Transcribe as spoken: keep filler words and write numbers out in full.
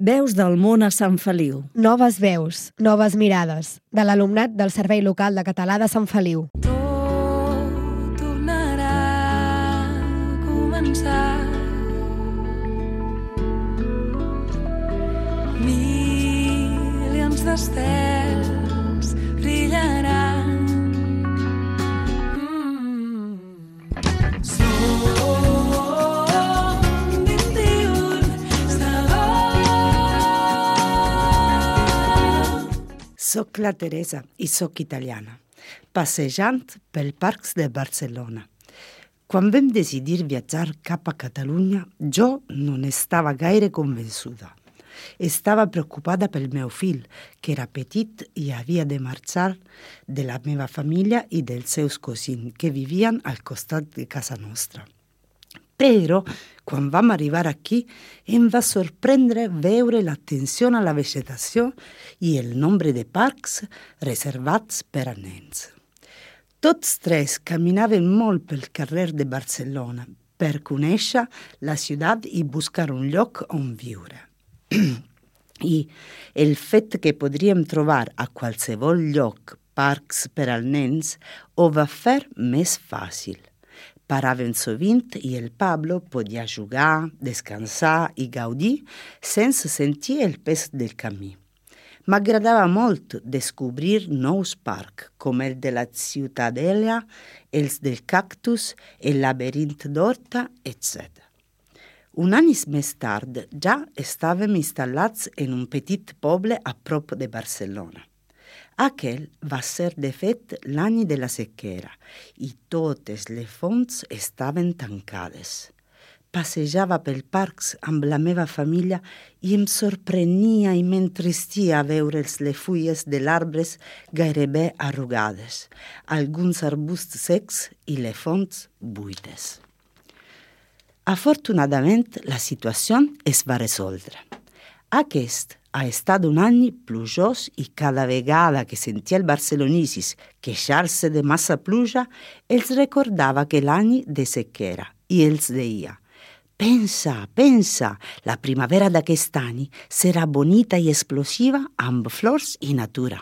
Veus del món a Sant Feliu. Noves veus, noves mirades, de l'alumnat del Servei Local de Català de Sant Feliu. Tot tornarà a començar. Milions d'estels brillaran. Soc la Teresa i soc italiana, passejant pel parcs de Barcelona. Quan vam decidir viatjar cap a Catalunya, jo no n'estava gaire convençuda. Estava preocupada pel meu fill, que era petit i havia de marxar de la meva família i dels seus cosins, que vivien al costat de casa nostra. Però, quan vam arribar aquí, em va sorprendre veure l'atenció a la vegetació i el nombre de parcs reservats per a nens. Tots tres caminaven molt pel carrer de Barcelona per conèixer la ciutat i buscar un lloc on viure. I el fet que podríem trobar a qualsevol lloc parcs per als nens ho va fer més fàcil. Paraven sovint i el Pablo podia jugar, descansar i gaudir sense sentir el pes del camí. M'agradava molt descobrir nous parcs, com el de la Ciutadella, els del Cactus, el Laberint d'Horta, etcètera. Un any més tard ja estàvem instal·lats en un petit poble a prop de Barcelona. Aquell va ser, de fet, l'any de la sequera i totes les fonts estaven tancades. Passejava pel parcs amb la meva família i em sorprenia i m'entristia veure les fulles de arbres gairebé arrugades, alguns arbusts secs i les fonts buides. Afortunadament, la situació es va resoldre. Aquest ha estat un any plujós i cada vegada que sentia els barcelonicis queixar-se de massa pluja, els recordava que l'any de sequera i els deia: «Pensa, pensa, la primavera d'aquest any serà bonita i explosiva amb flors i natura».